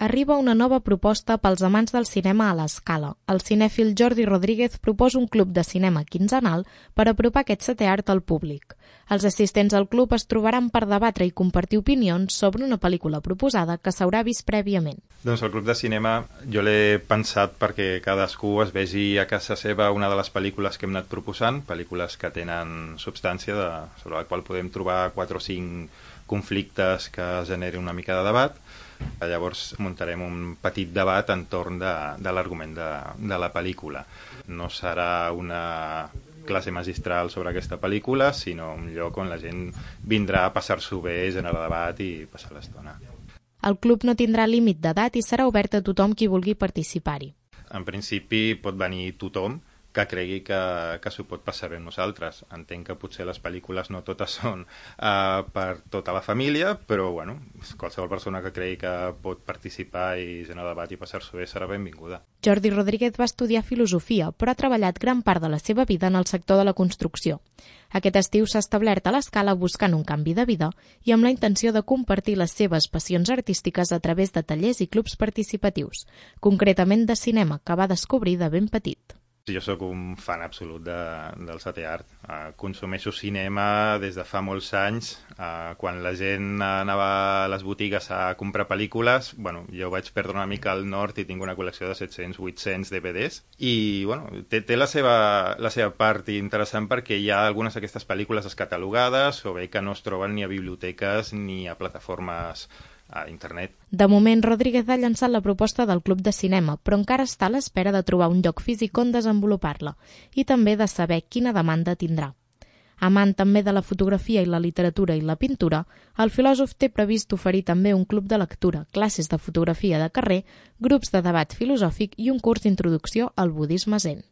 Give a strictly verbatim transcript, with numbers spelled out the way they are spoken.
Arriba una nova proposta pels amants del cinema a l'Escala. El cinèfil Jordi Rodríguez proposa un club de cinema quinzenal per apropar aquest setè art al públic. Els assistents al club es trobaran per debatre i compartir opinions sobre una pel·lícula proposada que s'haurà vist prèviament. Doncs el club de cinema jo l'he pensat perquè cadascú es vegi a casa seva una de les pel·lícules que hem anat proposant, pel·lícules que tenen substància, de, sobre la qual podem trobar quatre o cinc conflictes que generin una mica de debat. Llavors muntarem un petit debat entorn de, de l'argument de, de la pel·lícula. No serà una classe magistral sobre aquesta pel·lícula, sinó un lloc on la gent vindrà a passar-s'ho bé, generar debat i passar l'estona. El club no tindrà límit d'edat i serà obert a tothom qui vulgui participar-hi. En principi pot venir tothom que cregui que, que s'ho pot passar bé amb nosaltres. Entenc que potser les pel·lícules no totes són uh, per tota la família, però bueno, qualsevol persona que cregui que pot participar i generar debat i passar-s'ho bé serà benvinguda. Jordi Rodríguez va estudiar filosofia, però ha treballat gran part de la seva vida en el sector de la construcció. Aquest estiu s'ha establert a l'Escala buscant un canvi de vida i amb la intenció de compartir les seves passions artístiques a través de tallers i clubs participatius, concretament de cinema, que va descobrir de ben petit. Jo sóc un fan absolut de, del setè art. Uh, consumeixo cinema des de fa molts anys. Uh, quan la gent anava a les botigues a comprar pel·lícules, bueno, jo vaig perdre una mica el nord i tinc una col·lecció de set-cents vuit-cents D V Ds. I bueno, té, té la, seva, la seva part interessant perquè hi ha algunes d'aquestes pel·lícules descatalogades o bé que no es troben ni a biblioteques ni a plataformes a internet. De moment, Rodríguez ha llançat la proposta del Club de Cinema, però encara està a l'espera de trobar un lloc físic on desenvolupar-la i també de saber quina demanda tindrà. Amant també de la fotografia i la literatura i la pintura, el filòsof té previst oferir també un club de lectura, classes de fotografia de carrer, grups de debat filosòfic i un curs d'introducció al budisme zen.